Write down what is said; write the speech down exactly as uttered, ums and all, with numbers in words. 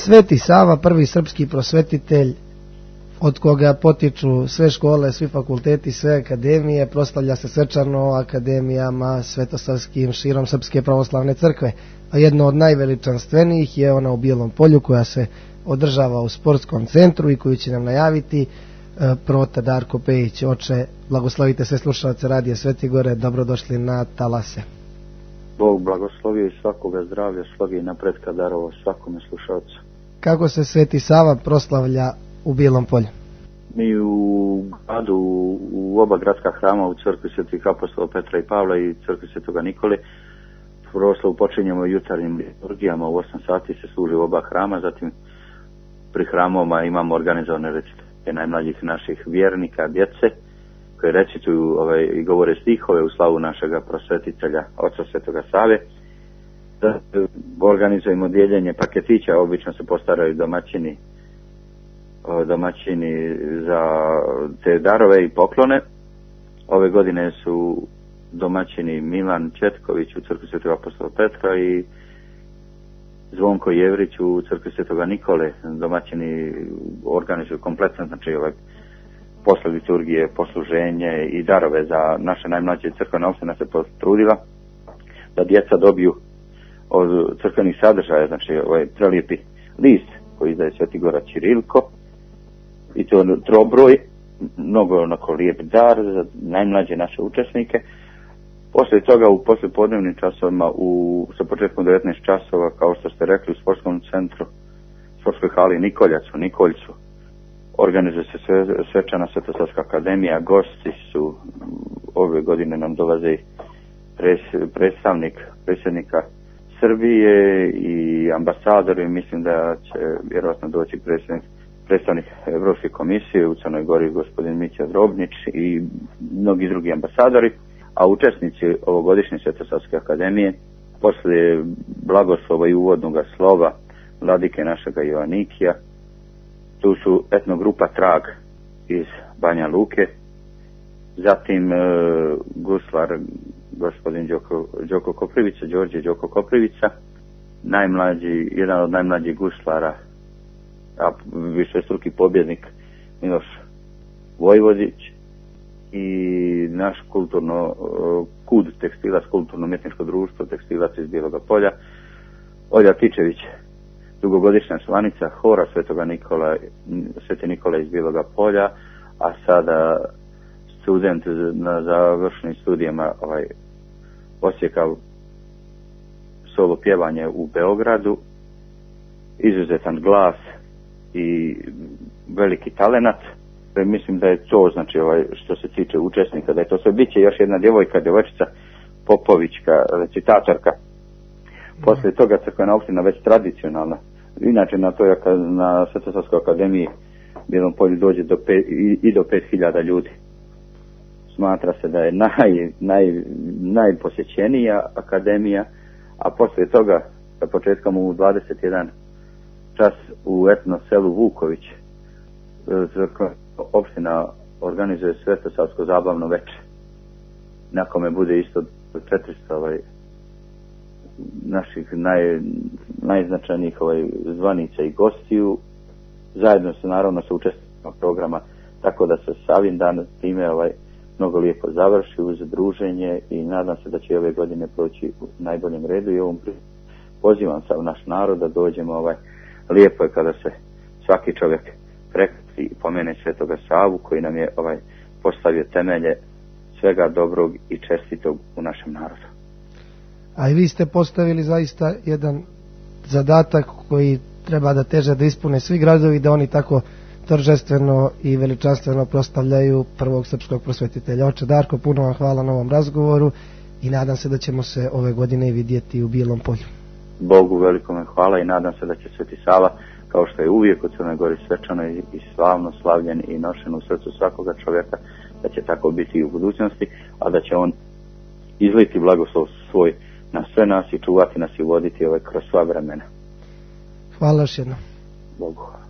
Sveti Sava, prvi srpski prosvetitelj, od koga potiču sve škole, svi fakulteti, sve akademije, proslavlja se svečano akademijama svetosavskim širom Srpske pravoslavne crkve. A jedno od najveličanstvenijih je ona u Bijelom Polju, koja se održava u sportskom centru i koju će nam najaviti prota Darko Pejić. Oče, blagoslovite sve slušalce Radija Sveti Gore, dobrodošli na Talase. Bog blagoslovio i svakoga zdravlja, slogi i napretka darovo svakome slušalcu. Kako se Sveti Sava proslavlja u Bijelom Polju? Mi u gradu, u oba gradska hrama, u crkvi Svetih apostola Petra i Pavla i crkvi Svetoga Nikole, proslavu počinjemo jutarnjim liturgijama, u osam sati se služi u oba hrama, zatim pri hramovima imamo organizovane recitacije najmlađih naših vjernika, djece, koje recituju ovaj, i govore stihove u slavu našega prosvetitelja, oca Svetoga Save. Da, organizujemo dijeljenje paketića, obično se postaraju domaćini domaćini za te darove i poklone. Ove godine su domaćini Milan Četković u crkvi Svetog apostola Petra i Zvonko Jevrić u crkvi Svetoga Nikole. Domaćini organizuju kompletno, znači ovaj, posle liturgije, posluženje i darove za naše najmlađe crkvene opštine se potrudila da djeca dobiju od crkvenih sadržaja, znači ovaj prelijepi list koji izdaje Sveti Gora Ćirilko, i to trobroj, mnogo onako lijep dar za najmlađe naše učesnike. Poslije toga u poslijepodnevnim časovima, u, sa početkom devetnaest časova, kao što ste rekli, u sportskom centru, sportskoj hali Nikoljac u Nikoljcu, organizuje se sve, svečana Svetosavska akademija. Gosti su, ove godine nam dolaze pres, predstavnik predsjednika Srbije i ambasadori. Mislim da će vjerojatno doći predsjednik predstavnik Evropske komisije u Crnoj Gori, gospodin Mića Drobnić i mnogi drugi ambasadori, a učesnici ovogodišnje Svetosavske akademije, poslije blagoslova i uvodnog slova vladike našega Joanikija, tu su etnogrupa Trag iz Banja Luke, zatim e, guslar gospodin Đoko, Đoko Koprivica, Đorđe Đoko Koprivica, najmlađi, jedan od najmlađih guslara, a višestruki pobjednik Miloš Vojvodić i naš kulturno kud tekstilac, kulturno-umjetničko društvo tekstilac iz Bijeloga Polja, Olja Tičević, dugogodišnja članica hora Svetoga Nikola, Sveti Nikola iz Bijeloga Polja, a sada student na završnim studijama ovaj, Osijeka solo pjevanje u Beogradu, izuzetan glas i veliki talenat. Mislim da je to, znači ovaj, što se tiče učesnika, da je to sve. Biće još jedna djevojka, djevojčica Popovićka, recitatorka. Poslije toga crkvena opština već tradicionalna. Inače na toj na Svetosavskoj akademiji Bijelom Polju dođe do pet, i, i do pet hiljada ljudi. Smatra se da je naj, naj, najposjećenija akademija, a poslije toga sa početkom u dvadeset jedan čas u etno selu Vuković opština organizuje Svetosavsko zabavno veče, na kome bude isto četiristo ovaj, naših naj, najznačajnijih ovaj, zvanica i gostiju, zajedno se naravno sa učesnicima programa, tako da se Savin dan time ovaj, mnogo lijepo završi uz druženje i nadam se da će ove godine proći u najboljem redu i ovom pozivam sav naš narod da dođemo. Ovaj, lijepo je kada se svaki čovjek prekrsti i pomene Svetoga Savu koji nam je ovaj, postavio temelje svega dobrog i čestitog u našem narodu. A i vi ste postavili zaista jedan zadatak koji treba da teže da ispune svi gradovi, da oni tako торжествено i veličanstveno proslavljaju prvog srpskog prosvetitelja. Oče Darko, puno vam hvala na ovom razgovoru i nadam se da ćemo se ove godine vidjeti u Bijelom Polju. Bogu velikome hvala i nadam se da će Sveti Sava, kao što je uvijek u Crnoj Gori svečano i slavno slavljen i nošen u srcu svakoga čovjeka, da će tako biti i u budućnosti, a da će on izliti blagoslov svoj na sve nas i čuvati nas i voditi ove kroz sva vremena. Hvala još jednom. Bogu hvala.